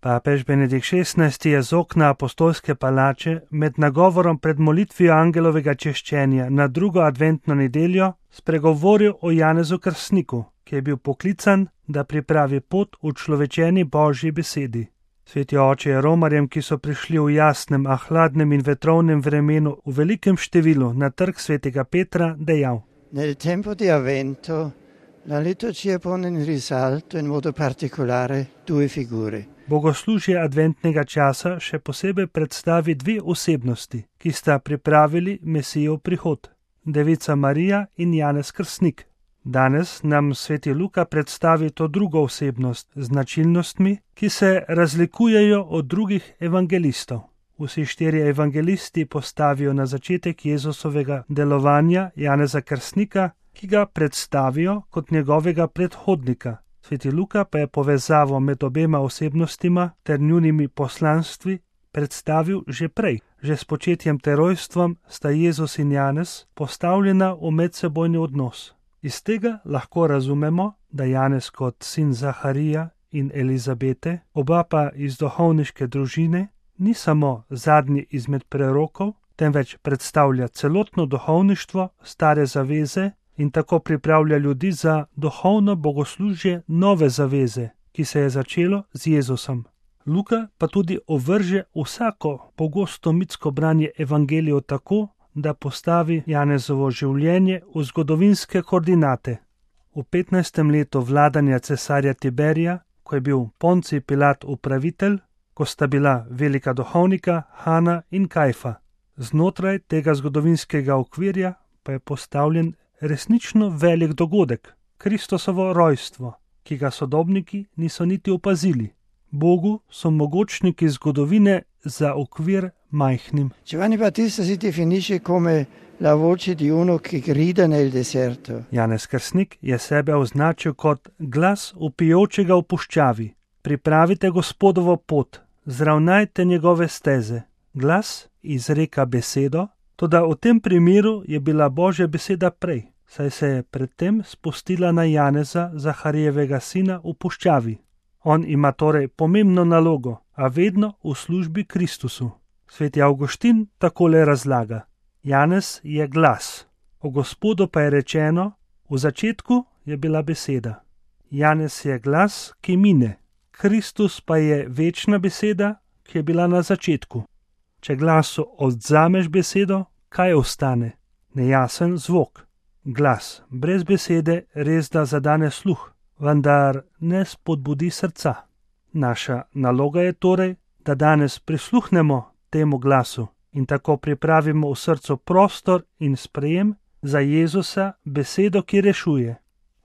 Papež Benedikt XVI je z okna apostolske palače med nagovorom pred molitvijo angelovega češčenja na drugo adventno nedeljo spregovoril o Janezu Krstniku, ki je bil poklican, da pripravi pot v človečeni Božji besedi. Sveti oče je romarjem, ki so prišli v jasnem, a hladnem in vetrovnem vremenu v velikem številu na trg svetega Petra, dejal: Nel tempo di Avvento la liturgia pone in risalto in modo particolare due figure. Bogoslužje adventnega časa še posebej predstavi dve osebnosti, ki sta pripravili Mesijev prihod, Devica Marija in Janez Krstnik. Danes nam sveti Luka predstavi to drugo osebnost z značilnostmi, ki se razlikujejo od drugih evangelistov. Vsi štirje evangelisti postavijo na začetek Jezusovega delovanja Janeza Krstnika, ki ga predstavijo kot njegovega predhodnika. Sveti Luka pa je povezavo med obema osebnostima ter njunimi poslanstvi predstavil že prej. Že s početjem ter rojstvom sta Jezus in Janez postavljena v medsebojni odnos. Iz tega lahko razumemo, da Janez kot sin Zaharija in Elizabete, oba pa iz duhovniške družine, ni samo zadnji izmed prerokov, temveč predstavlja celotno duhovništvo stare zaveze in tako pripravlja ljudi za duhovno bogoslužje nove zaveze, ki se je začelo z Jezusom. Luka pa tudi ovrže vsako pogosto mitsko branje evangelijev tako, da postavi Janezovo življenje v zgodovinske koordinate. V 15. letu vladanja cesarja Tiberija, ko je bil Poncij Pilat upravitelj, ko sta bila velika duhovnika Hana in Kajfa. Znotraj tega zgodovinskega okvirja pa je postavljen resnično velik dogodek, Kristusovo rojstvo, ki ga sodobniki niso niti opazili. Bogu so mogočniki zgodovine za okvir majhnim. Giovanni Battista si definisce come la voce di uno che grida nel deserto. Janez Krstnik je sebe označil kot glas vpijočega v puščavi. Pripravite Gospodovo pot, zravnajte njegove steze. Glas izreka besedo, toda v tem primeru je bila Božja beseda prej, saj se je predtem spustila na Janeza, Zaharijevega sina, v puščavi. On ima torej pomembno nalogo, a vedno v službi Kristusu. Sveti Avguštin takole razlaga: Janez je glas, o Gospodu pa je rečeno: v začetku je bila beseda. Janez je glas, ki mine, Kristus pa je večna beseda, ki je bila na začetku. Če glasu odvzameš besedo, kaj ostane? Nejasen zvok. Glas brez besede resda zadane sluh, vendar ne spodbudi srca. Naša naloga je torej, da danes prisluhnemo temu glasu in tako pripravimo v srcu prostor in sprejem za Jezusa, besedo, ki rešuje.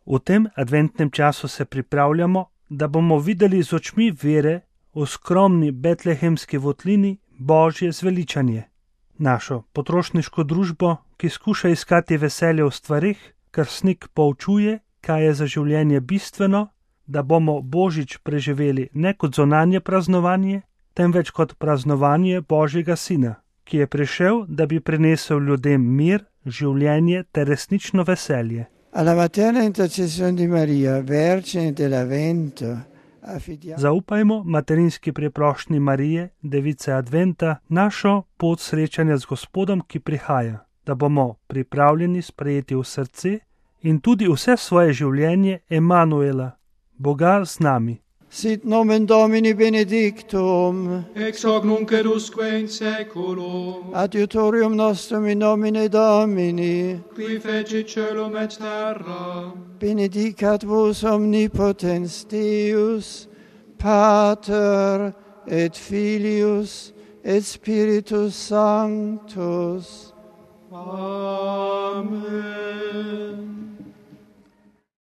V tem adventnem času se pripravljamo, da bomo videli z očmi vere v skromni betlehemski votlini Božje zveličanje. Našo potrošniško družbo, ki skuša iskati veselje v stvareh, Krstnik poučuje, kaj je za življenje bistveno, da bomo Božič preživeli ne kot zunanje praznovanje, temveč kot praznovanje Božjega Sina, ki je prišel, da bi prinesel ljudem mir, življenje ter resnično veselje. Alla materna intercessione di Maria, Vergine dell'Avvento, Zaupajmo materinski preprošnji Marije, Device Adventa, našo pot srečanja z Gospodom, ki prihaja, da bomo pripravljeni sprejeti v srce in tudi vse svoje življenje Emanuela, Boga z nami. Sit nomen Domini benedictum, ex hoc nunc et usque in seculum, adiutorium nostrum in nomine Domini, qui fecit caelum et terra, benedicat vos omnipotens Deus, Pater et Filius et Spiritus Sanctus. Amen.